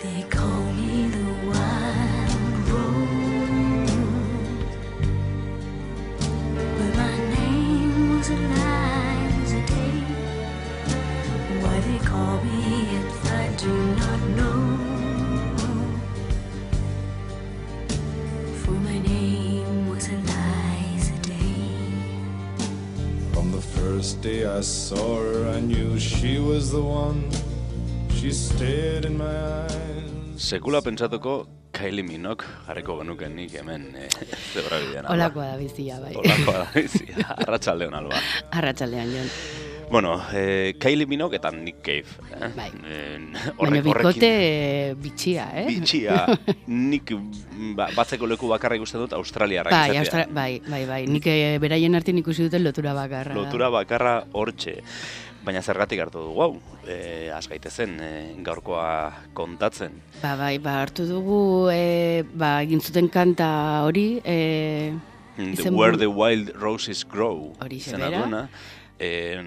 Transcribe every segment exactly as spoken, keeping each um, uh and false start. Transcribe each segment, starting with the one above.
They call me the wild rose, but my name was Eliza Day. Why they call me if I do not know, for my name was Eliza Day. From the first day I saw her, I knew she was the one. She stared in my eyes. Sekula pentsatuko Kylie Minogue jarriko genuke nik hemen eh, zebra bidean. Olakoa da bizia, bai. Olakoa da bizia, arratsaldeon alba. Arratsaldean, Jon. Bueno, eh, Kylie Minogue eta Nick Cave. Eh? Bai. Eh, Baina bikote eh, bitxia, eh? Bitxia. Nik ba, batzeko leku bakarra ikusten dut Australiarrak bai, izatea. Austra bai, bai, bai. Nik eh, beraien artean ikusi duten lotura bakarra. Lotura bakarra hortxe. Baina zergatik hartu dugu, hau, e, az gaitezen e, gaurkoa kontatzen. Ba, bai, ba, hartu dugu, e, ba, egin zuten kanta hori, e, The Where the Wild Roses Grow. Hori zena zebera. duena. E,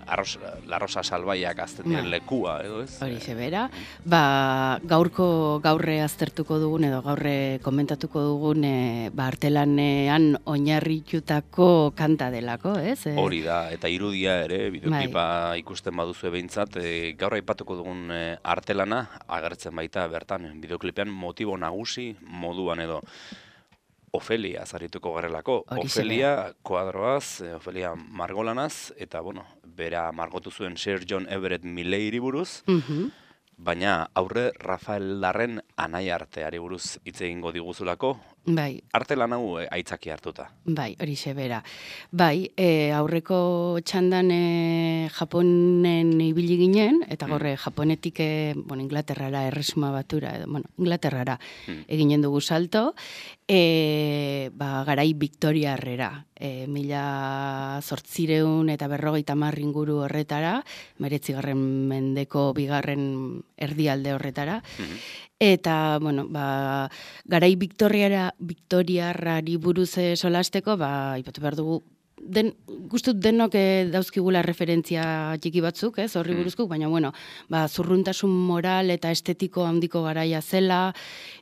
arroz, la rosa salbaiak azten diren Ba. lekua, edo ez? hori zebera. Ba, gaurko gaurre aztertuko dugun edo gaurre komentatuko dugun e, ba, artelanean oinarritutako kanta delako, ez? E, Hori da, eta irudia ere, bideoklipa ikusten baduzu behintzat, e, gaur aipatuko dugun e, artelana, agertzen baita bertan, bideoklipean motibo nagusi moduan edo. Ofelia zarituko garelako. Horixe Ofelia kuadroaz, eh, Ofelia margolanaz, eta bueno, bera margotu zuen Sir John Everett Milleyri buruz, mhm. baina aurre Rafael Darren anai arteari buruz hitz egingo diguzulako, Bai, arte lan hau eh, aitzaki hartuta. bai, hori bera. Bai, e, aurreko txandan e, Japonen ibili ginen, eta Mm. gorre Japonetik e, bueno, Inglaterrara, erresuma batura, edo, bueno, Inglaterrara Mm. eginen dugu salto, e, ba, garai Victoriarrera, e, mila zortzireun eta berrogeita hamar inguru horretara, meretzigarren mendeko bigarren erdialde horretara, Mhm. eta, bueno, ba, garai Victoriara, Victoriarrari buruz eh, solasteko, ba, ipatu behar dugu, den, gustut denok eh, dauzkigula referentzia txiki batzuk, ez, horri Mm. buruzko, baina, bueno, ba, zurruntasun moral eta estetiko handiko garaia zela,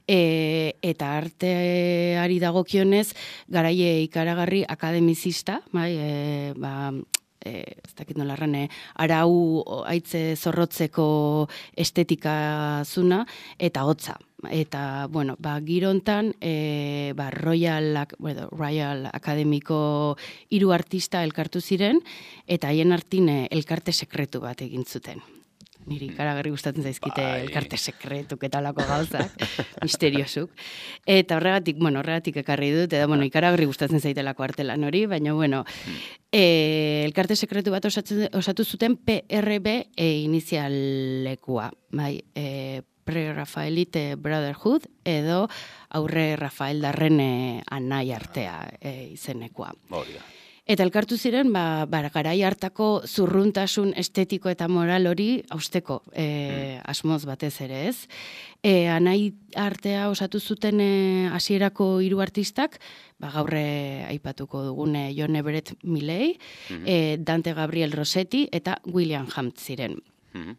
e, eta arteari dagokionez, garaie ikaragarri akademizista, bai, e, ba, e, ez dakit nola erran, e, arau o, haitze zorrotzeko estetika zuna, eta hotza. Eta, bueno, ba, girontan, e, ba, Royal, Ac- bueno, Royal Akademiko hiru artista elkartu ziren, eta haien artin e, elkarte sekretu bat egin zuten. Niri ikaragarri gustatzen zaizkite Bai. elkarte sekretuk eta lako gauzak, misteriosuk. Eta horregatik, bueno, horregatik ekarri dut, eta, bueno, ikaragarri gustatzen zaitelako artelan hori, baina, bueno, e, elkarte sekretu bat osatzen, osatu zuten P R B e, inizialekua, bai, e, Pre-Rafaelite Brotherhood edo aurre Rafael Darren e, anai artea e, izenekoa. Hori da. Eta elkartu ziren, ba, ba, garai hartako zurruntasun estetiko eta moral hori hausteko e, asmoz batez ere, ez? E, anai artea osatu zuten e, hasierako hiru artistak, ba, gaurre aipatuko dugun e, John Everett Milley, Mhm. e, Dante Gabriel Rossetti eta William Hunt ziren. Mhm.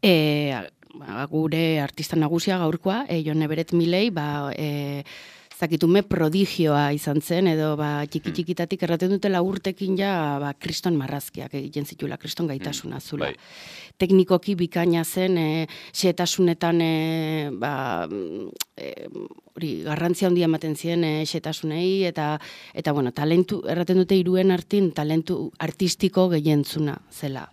E, ba, gure artista nagusia gaurkoa, e, John Everett Milley, ba, e, zakitume prodigioa izan zen, edo ba, txiki-txikitatik erraten dutela urtekin ja ba, kriston marrazkiak egiten zitula, kriston gaitasuna zula. Bai. Teknikoki bikaina zen, e, xetasunetan e, ba, e, hori, garrantzia handia ematen zien e, xetasunei, eta, eta bueno, talentu, erraten dute hiruen artin, talentu artistiko gehientzuna zela.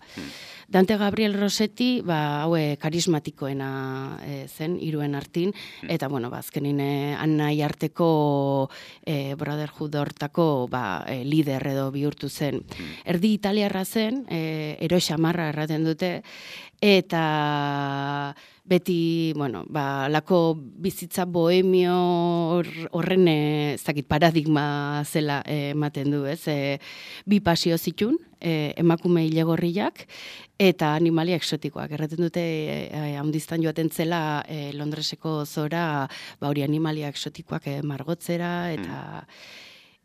Dante Gabriel Rossetti, ba, haue karismatikoena e, zen, hiruen artin, eta, bueno, ba, azkenin e, anai arteko e, Brotherhood hortako ba, e, lider edo bihurtu zen. Erdi italiarra zen, e, ero xamarra erraten dute, eta beti, bueno, ba, lako bizitza bohemio hor- horren e, ez dakit paradigma zela e, ematen du, ez? E, bi pasio zitun, e, emakume ilegorriak eta animalia exotikoak. Erraten dute e, handiztan joaten zela e, Londreseko zora, ba, hori animalia exotikoak e, margotzera eta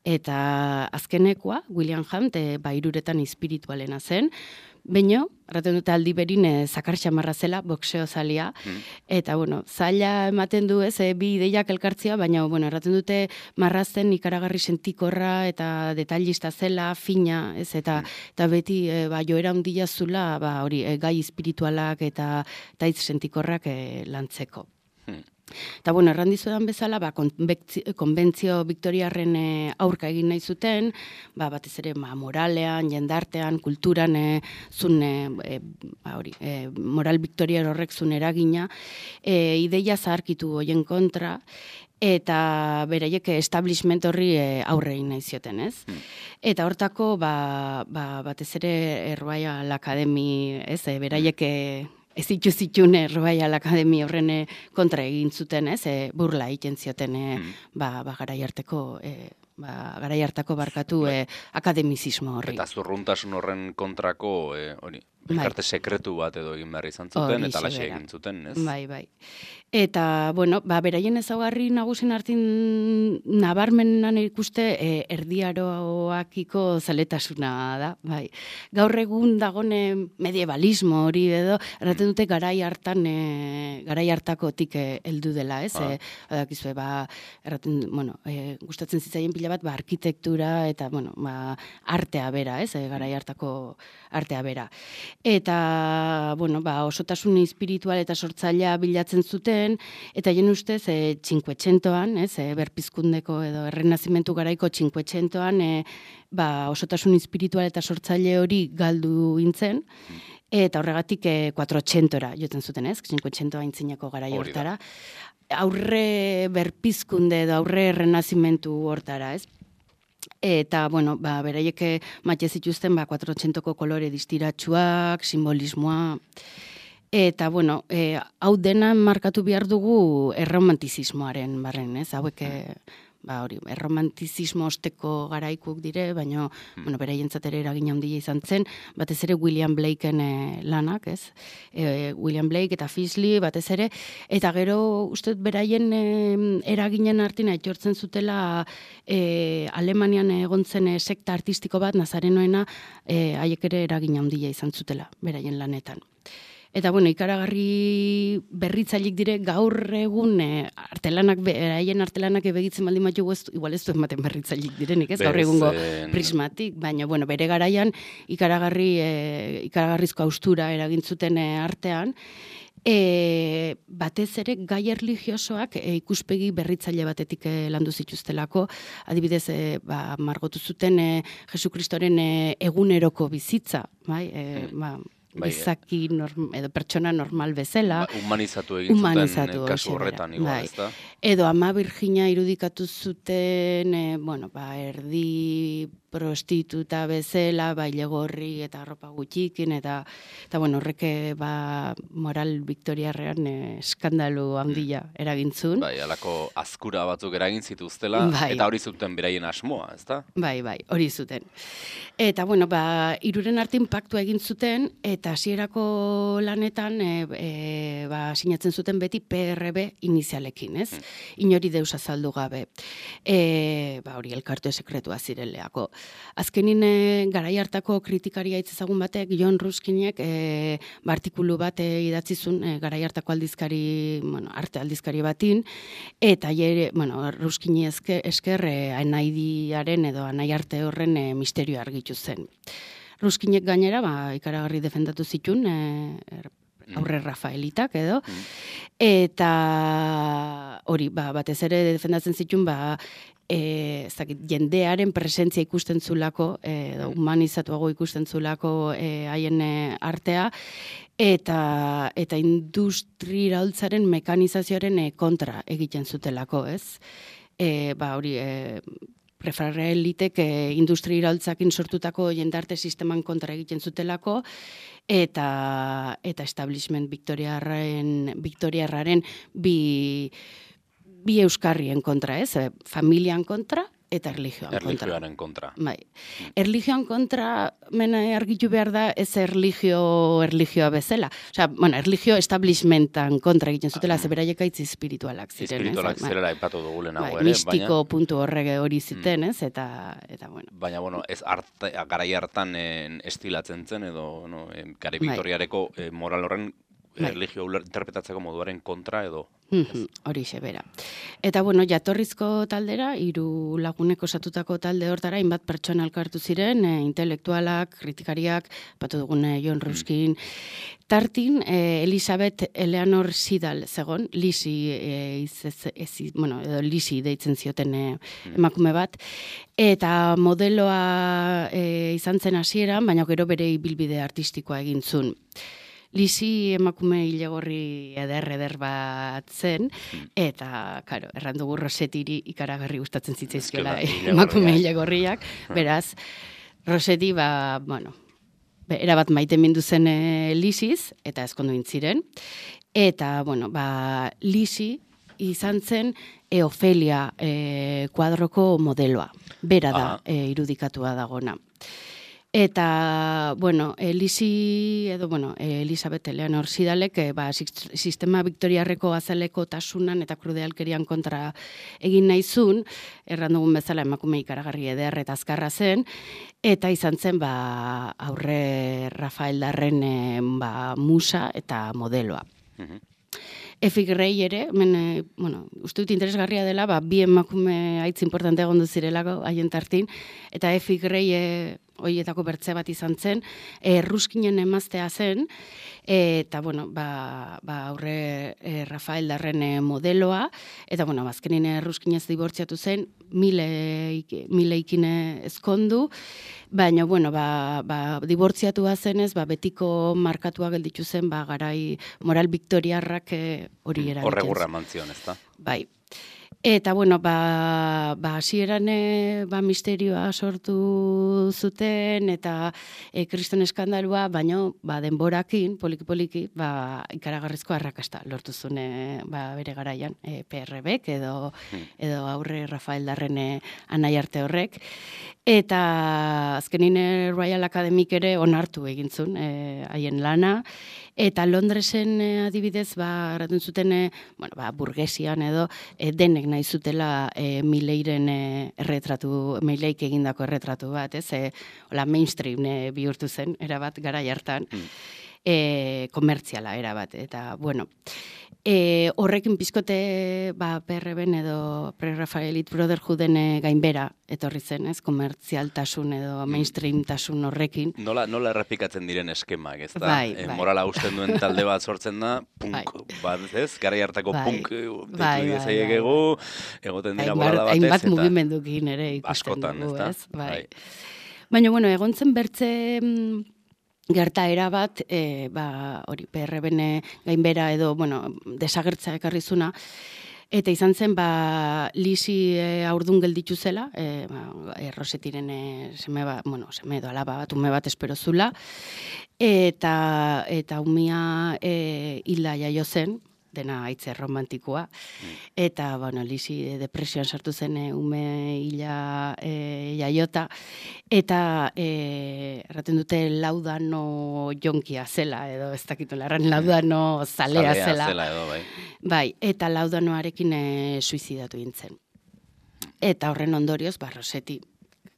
eta azkenekoa, William Hunt, e, ba, hiruretan espiritualena zen, Baina, erraten dute aldi berin e, zakar xamarra zela, boxeo zalia, mm. eta, bueno, zaila ematen du ez, e, bi ideiak elkartzia, baina, bueno, erraten dute marrazten ikaragarri sentikorra eta detailista zela, fina, ez, eta, mm. eta beti, e, ba, joera handia zula, ba, hori, e, gai espiritualak eta, eta hitz sentikorrak e, lantzeko. Mm. Eta, bueno, errandizudan bezala, ba, konbentzio Viktoriarren e, aurka egin nahi zuten, ba, batez ere ma, moralean, jendartean, kulturan, e, zun, e, ba, hori, e, moral Viktoriar horrek zun eragina, e, ideia zaharkitu hoien kontra, eta beraiek establishment horri e, aurre egin nahi zioten, ez? Mm. Eta hortako, ba, ba, batez ere Royal Academy, ez, e, beraiek e, ez itxuzitxun Royal Academy horren kontra egin zuten, ez, e, burla egiten zioten, e, mm. ba, ba, garai harteko, e, ba, garai hartako barkatu e, akademizismo horri. Eta zurruntasun horren kontrako, e, hori, elkarte sekretu bat edo egin behar izan zuten, eta laxe egin zuten, ez? Bai, bai. Eta, bueno, ba, beraien ezaugarri nagusin hartin nabarmenan ikuste e, erdiaroakiko zaletasuna da, bai. Gaur egun dagone medievalismo hori edo, erraten dute garai hartan, e, garai hartakotik heldu dela, ez? Ah. E, adakizue, ba, erraten, bueno, e, gustatzen zitzaien pila bat, ba, arkitektura eta, bueno, ba, artea bera, ez? E, garai hartako artea bera. Eta, bueno, ba, osotasun espiritual eta sortzailea bilatzen zuten, eta jen ustez, e, txinkuetxentoan, ez, e, berpizkundeko edo errenazimentu garaiko txinkuetxentoan, e, ba, osotasun espiritual eta sortzaile hori galdu intzen, eta horregatik e, kuatrotxentora joten zuten, ez, txinkuetxentoa intzineko garai hortara. Aurre berpizkunde edo aurre errenazimentu hortara, ez. Eta, bueno, ba, beraiek matxe zituzten, ba, kuatrotxentoko kolore distiratsuak, simbolismoa. Eta, bueno, e, hau dena markatu behar dugu erromantizismoaren barren, ez? Hauek, ba, hori, erromantizismo osteko garaikuk dire, baina, hmm. bueno, beraientzat ere eragin handia izan zen, batez ere William Blakeen e, lanak, ez? E, William Blake eta Fisley, batez ere, eta gero, uste beraien e, eraginen artina aitortzen zutela e, Alemanian egontzen e, sekta artistiko bat, nazarenoena, e, haiek ere eragin handia izan zutela, beraien lanetan. Eta, bueno, ikaragarri berritzailik dire gaur egun e, artelanak, beraien artelanak ebegitzen baldin bat jogu, igual ez du ematen berritzailik direnik, ez? Gaur egungo prismatik, baina, bueno, bere garaian ikaragarri, e, ikaragarrizko austura eragintzuten e, artean, E, batez ere gai erligiosoak e, ikuspegi berritzaile batetik e, landu zituztelako, adibidez e, ba, margotu zuten e, Jesu Kristoren e, eguneroko bizitza, bai, e, ba, bizaki norm, edo pertsona normal bezala. Ba, humanizatu egin humanizatu zuten kasu horretan, igual, bai. Ez da? Edo Ama Virgina irudikatu zuten, e, bueno, ba, erdi prostituta bezala, bailegorri eta arropa gutxikin, eta, eta bueno, horreke ba, moral Viktoriarrean e, eskandalu handia eragintzun. Bai, alako azkura batzuk eragin zituztela, bai. Eta hori zuten beraien asmoa, ez da? Bai, bai, hori zuten. Eta, bueno, ba, iruren artin paktua egin zuten, eta hasierako lanetan, e, e, ba, sinatzen zuten beti P R B inizialekin, ez? Hmm. Inori deus azaldu gabe. E, ba, hori elkarte sekretua zireleako. Azkenin e, garai hartako kritikaria itzezagun batek, John Ruskinek e, artikulu bat e, idatzizun e, garai hartako aldizkari, bueno, arte aldizkari batin, eta jere, bueno, Ruskini esker, esker e, anaidiaren edo anai arte horren e, misterio argitu zen. Ruskinek gainera, ba, ikaragarri defendatu zitun, e, aurre Rafaelitak edo, mm. eta hori, ba, batez ere defendatzen zitun, ba, E, ez dakit, jendearen presentzia ikusten zulako, e, humanizatuago ikusten zulako e, haien e, artea, eta, eta industri iraultzaren mekanizazioaren e, kontra egiten zutelako, ez? E, ba, hori, e, Rafaelitek e, industri iraultzakin sortutako jendarte sisteman kontra egiten zutelako, eta, eta establishment Viktoriarraren, Viktoriarraren bi... bi euskarrien kontra, ez? Familian kontra eta erlijioan kontra. Erlijioaren kontra. Bai. Erlijioan kontra, mena argitu behar da, ez erlijio, erlijioa bezala. Osea, bueno, erlijio establishmentan kontra egiten zutela, ze beraiek aitz espiritualak ziren. Espiritualak ez? zirela aipatu dugu lehenago Bai, ere, mistiko baina... puntu horrege hori ziten, ez? Eta, eta bueno. Baina, bueno, ez arte, garai hartan en, estilatzen zen, edo, no, en, gare Victoriareko eh, moral horren erlijio uler interpretatzeko moduaren kontra edo. Horixe bera. Eta bueno, jatorrizko taldera, hiru lagunek osatutako talde hortara, hainbat pertsona elkartu ziren, e, intelektualak, kritikariak, batu dugun John Ruskin, tartin, e, Elizabeth Eleanor Sidal zegon, Lisi, e, izez, ez, bueno, edo Lisi deitzen zioten e, emakume bat, eta modeloa e, izan zen hasieran, baina gero bere ibilbide artistikoa egin zuen. Lisi emakume hilegorri eder-eder bat zen, eta, karo, errandugu Rosetiri ikaragarri gustatzen zitzaizkiola emakume hilegorriak, beraz, Roseti, ba, bueno, erabat maite mindu zen e, Lisiz, eta ezkondu intziren, eta, bueno, ba, Lisi izan zen e, Ofelia e, kuadroko modeloa, bera da e, irudikatua dagona. Eta, bueno, Elisi, edo, bueno, Elizabeth Eleanor Sidalek, e, ba, sistema Victoriarreko azaleko tasunan eta krudealkerian kontra egin nahizun, erran dugun bezala emakume ikaragarri eder eta azkarra zen, eta izan zen, ba, aurre Rafael Darren e, ba, musa eta modeloa. Efi Grey ere, men, e, bueno, uste dut interesgarria dela, ba, bi emakume haitz importante egondu zirelako haien tartin, eta Efi Grey e, hoietako bertze bat izan zen, e, Ruskinen emaztea zen, e, eta, bueno, ba, ba aurre e, Rafael Darren e, modeloa, eta, bueno, azkenin Ruskinez dibortziatu zen, mileikin ezkondu, baina, bueno, ba, ba, dibortziatua zenez, ba, betiko markatua gelditu zen, ba, garai moral viktoriarrak e, hori eragiten. Horregurra mantzion, ez da? Bai. Eta, bueno, ba, ba hasieran e, ba, misterioa sortu zuten, eta e, kriston eskandalua, baina ba, denborakin, poliki-poliki, ba, ikaragarrizko arrakasta lortu zuen e, ba, bere garaian, e, P R Bek, edo, edo aurre Rafael Darren anai arte horrek. Eta azkenin Royal Academic ere onartu egintzun haien lana, eta Londresen e, adibidez, ba, erratun zuten, e, bueno, ba, burgesian edo, e, denek nahi zutela e, Mileiren e, erretratu, Mileik egindako erretratu bat, ez? E, hola, mainstream e, bihurtu zen, erabat, garai hartan, mm. e, komertziala erabat, eta, bueno, e, horrekin pizkote, ba, P R Ben edo Pre-Raphaelite Brotherhooden e, gainbera etorri zen, ez? Komertzialtasun edo mainstreamtasun horrekin. Nola, nola errepikatzen diren eskemak, ez da? Bai, e, bai. Morala usten duen talde bat sortzen da, punk, Bai. bat, ez? Garai hartako Bai. punk, Bai, bai, deitu bai. egu, egoten dira Hainbat- bolada batez, hainbat eta mugimendukin ere ikusten askotan, dugu, ez da? ez? Bai. Bai. Baina, bueno, egon zen bertze mm, gertaera bat, e, ba, hori, P R Ben gainbera edo, bueno, desagertza ekarrizuna, eta izan zen, ba, Lisi e, aurdun gelditu zela, e, ba, e, Rosetiren e, seme bat, bueno, seme edo alaba bat, ume bat espero zula, eta, eta umia e, hilda jaio zen, dena aitze romantikoa, eta, bueno, Lisi depresioan sartu zen e, ume hila e, jaiota, eta e, erraten dute laudano jonkia zela, edo ez dakitu larran, laudano zalea, Zalea zela. zela edo, bai. Bai, eta laudanoarekin e, suizidatu gintzen. Eta horren ondorioz, ba, Roseti,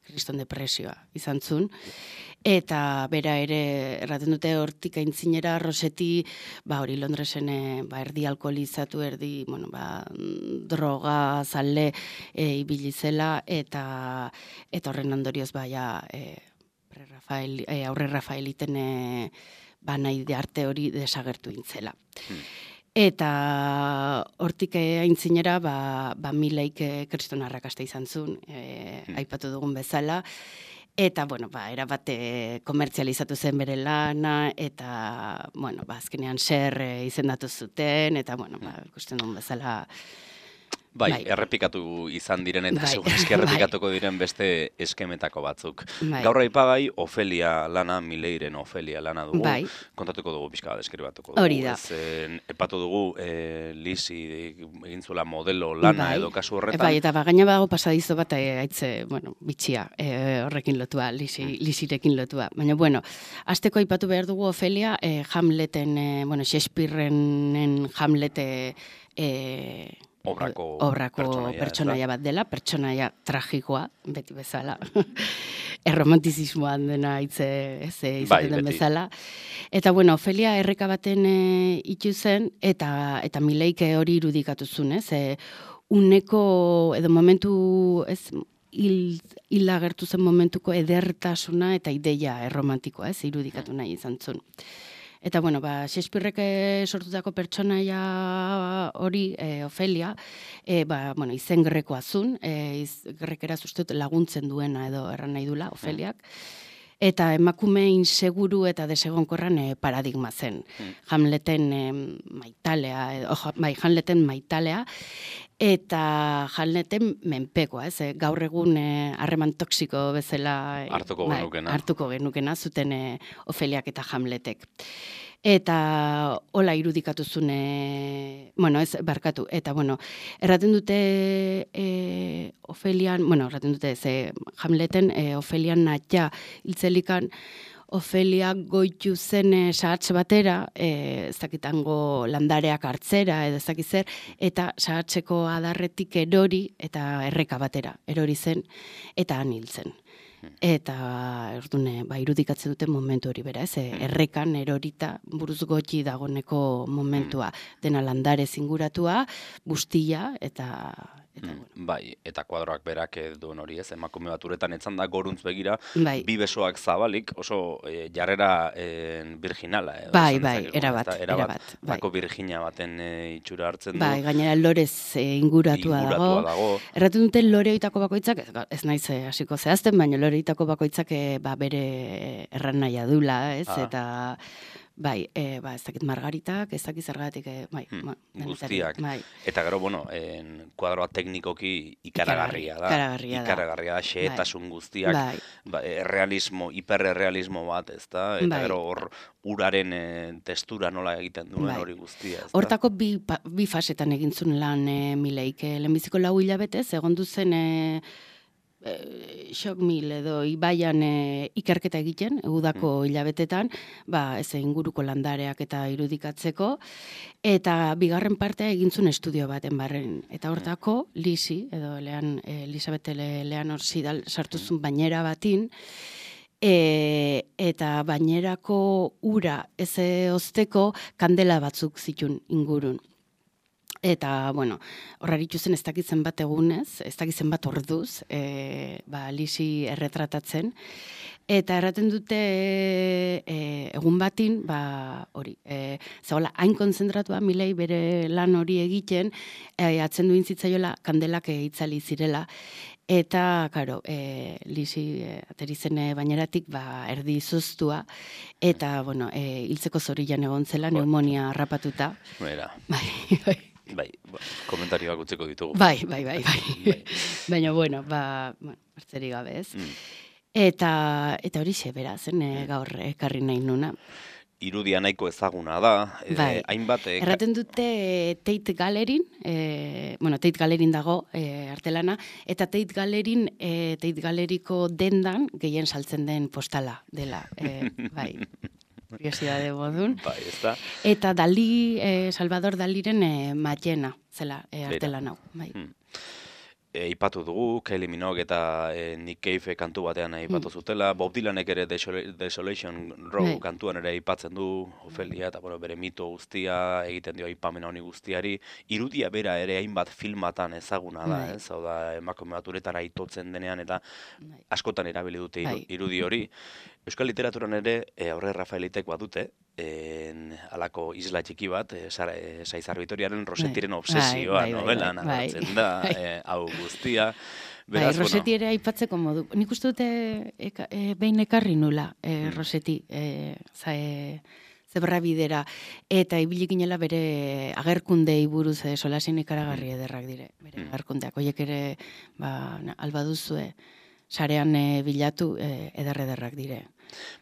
kriston depresioa izan zuen, eta bera ere, erraten dute hortik aintzinera, Roseti, ba, hori Londresen, e, ba, erdi alkoholizatu, erdi, bueno, ba, droga, zale, e, ibili zela, eta, eta horren ondorioz, ba, ja, e, pre Rafael, e, aurre Rafaeliten, e, ba, nahi de arte hori desagertu intzela. Hmm. Eta hortik aintzinera, ba, ba Mileik kriston arrakasta izan zuen, e, hmm. aipatu dugun bezala, eta, bueno, ba, erabat komertzializatu zen bere lana, eta, bueno, ba, azkenean ser e, izendatu zuten, eta, bueno, ba, ikusten duen bezala, Bai, bai. errepikatu izan diren eta Bai. segurazki errepikatuko diren beste eskemetako batzuk. Bai. Gaur aipagai Ofelia lana, Mileiren Ofelia lana dugu. Bai. Kontatuko dugu pixka bat deskribatuko dugu. Hori da. Ez, eh, epatu dugu eh, Lisi egin zuela modelo lana Bai. edo kasu horretan. Bai, eta bagaina bago pasadizo bat eh, aitze, bueno, bitxia eh, horrekin lotua, lisi, Mm. lisirekin lotua. Baina, bueno, azteko aipatu behar dugu Ofelia, eh, Hamleten, eh, bueno, Shakespearenen Hamlete eh, Obrako obrako pertsonaia, pertsonaia, ez da? bat dela, pertsonaia tragikoa, beti bezala. Erromantizismoan dena hitze ez eh, izaten Bai, den beti. bezala. Eta bueno, Ofelia erreka baten e, itu zen eta eta Mileike hori irudikatu zuen, ez? E, uneko edo momentu ez hil, hil agertu zen momentuko edertasuna eta ideia erromantikoa, ez? Irudikatu nahi izan zuen. Eta, bueno, ba, Shakespearek sortutako pertsonaia hori, e, Ofelia, e, ba, bueno, izen grekoa zun, e, iz, grekeraz uste dut laguntzen duena edo erran nahi dula, Ofeliak. Eta emakume inseguru eta desegonkorran e, paradigma zen. Mm. Hamleten e, maitalea, edo, oh, bai, Hamleten maitalea, eta Hamleten menpekoa, ez? E, gaur egun e, harreman toksiko bezala e, Hartuko bai, genukena. hartuko genukena zuten e, Ofeliak eta Hamletek. Eta hola irudikatu zune, bueno, ez, barkatu, eta, bueno, erraten dute e, Ofelian, bueno, erraten dute, ze Hamleten e, Ofelian natia hiltzelikan, Ofelia goitu zen e, sahatz batera, e, ez dakitango landareak hartzera, edo ez dakit zer, eta sahatzeko adarretik erori, eta erreka batera, erori zen, eta han hil zen. Eta erdune, ba, irudikatzen duten momentu hori bera, ez? Errekan erorita buruz gotxi dagoneko momentua. Dena landare zinguratua, bustila, eta... eta bueno. Bai, eta kuadroak berak duen hori ez, emakume bat uretan etzan da goruntz begira, Bai. bi besoak zabalik, oso e, jarrera e, virginala. Edo, Bai, esan bai, dezakegu, erabat, ezta? erabat, bai. Bako Virginia baten e, itxura hartzen du. Bai, gainera lorez e, inguratua, Inguratua dago. dago. Erraten dute loreoitako bakoitzak, ez, ez naiz eh, hasiko zehazten, baina loreoitako bakoitzak e, ba, bere erran nahia dula, ez? Ah. Eta... Bai, e, ba, ez dakit margaritak, ez dakit zergatik, e, bai, Hmm, ma, denetarik, guztiak. bai. Eta gero, bueno, en, kuadroa teknikoki ikaragarria da. Ikaragarria da. Ikaragarria da, xehetasun guztiak, Bai. ba, errealismo, hiperrealismo bat, ez da? Eta Bai. gero hor uraren e, testura nola egiten duen Bai. hori guztia, ez da? Hortako bi, pa- bi fasetan egin zuen lan e, Mileik. E, lehenbiziko lau hilabetez, egon duzen e, e, Shock Mill edo ibaian e, ikerketa egiten, udako hilabetetan, ba, ez inguruko landareak eta irudikatzeko, eta bigarren partea egin zuen estudio baten barren. Eta hortako, Lisi, edo Lean, e, Elisabete Le, Leanor Sidal sartu zuen bainera batin, E, eta bainerako ura ez ozteko kandela batzuk zitun ingurun. Eta, bueno, horraritu zen ez dakitzen bat egunez, ez dakitzen bat orduz, e, ba, Lisi erretratatzen. Eta erraten dute e, egun batin, ba, hori, e, zagola, hain konzentratua Milei bere lan hori egiten, e, atzen duin zitzaiola kandelak e, itzali zirela. Eta, karo, e, Lisi e, ateri zen e, baineratik ba, erdi izoztua, eta, bueno, e, hiltzeko zorian egon zela, pneumonia harrapatuta. Bera. Bai, bai. Bai, ba, komentarioak utzeko ditugu. Bai, bai, bai, bai. Bai. Baina, bueno, ba, bueno, hartzerik gabe ez. Mm. Eta, eta hori xe, beraz, eh, gaur ekarri nahi nuna. Irudia nahiko ezaguna da, e, Bai. hainbat... E, Erraten dute e, Tate Galerin, e, bueno, Tate Galerin dago e, artelana, eta Tate Galerin, e, Tate Galeriko dendan gehien saltzen den postala dela. E, bai, kuriosidade modun. Bai, ez da. Eta Dali, e, Salvador Daliren e, Matxena, zela, e, artelan hau. Bai. Hmm. E, ipatu dugu, Kylie Minogue eta e, Nick Cave kantu batean ipatu zutela, Bob Dylanek ere Desol- Desolation Row Bai. kantuan ere ipatzen du, Ofelia, eta bueno, bere mito guztia, egiten dio aipamena honi guztiari, irudia bera ere hainbat filmatan ezaguna da, Bai. ez? Hau da, emakume bat uretara itotzen denean, eta Bai. askotan erabili dute iru- Bai. irudi hori. Euskal literaturan ere, e, aurre Rafaelitek badute, en, alako isla txiki bat, e, Sara- e, Saizar Vitoriaren Rosetiren Bai. obsesioa Bai, bai, bai, novelan bai. agertzen da, Bai. e, hau guztia. Bai, Beraz, Roseti ere aipatzeko modu. Nik uste dute eka, e, behin ekarri nula, e, Mm. Roseti. E, za, e, zebra bidera, eta ibili ginela bere agerkundei buruz e, solasin ikaragarri ederrak dire. Bere agerkundeak, horiek ere, ba, albaduzue, sarean e, bilatu e, eder-ederrak dire.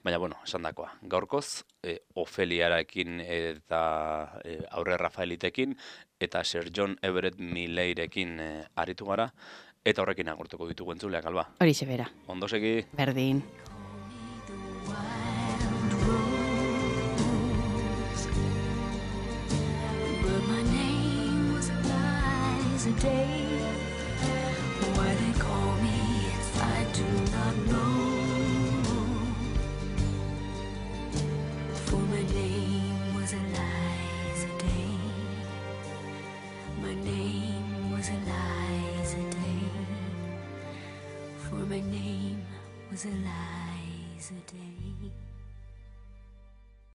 Baina, bueno, esan dakoa, gaurkoz, e, Ofeliarekin eta e, Aurre Rafaelitekin eta Sir John Everett Millairekin e, aritu gara, eta horrekin agurtuko ditugu entzuleak, Alba. Horixe bera. Ondo segi. Berdin. But my name was Eliza Day. Why they call me if I do not know. For my name was Eliza Day. My name was Eliza Day. For my name was Eliza Day.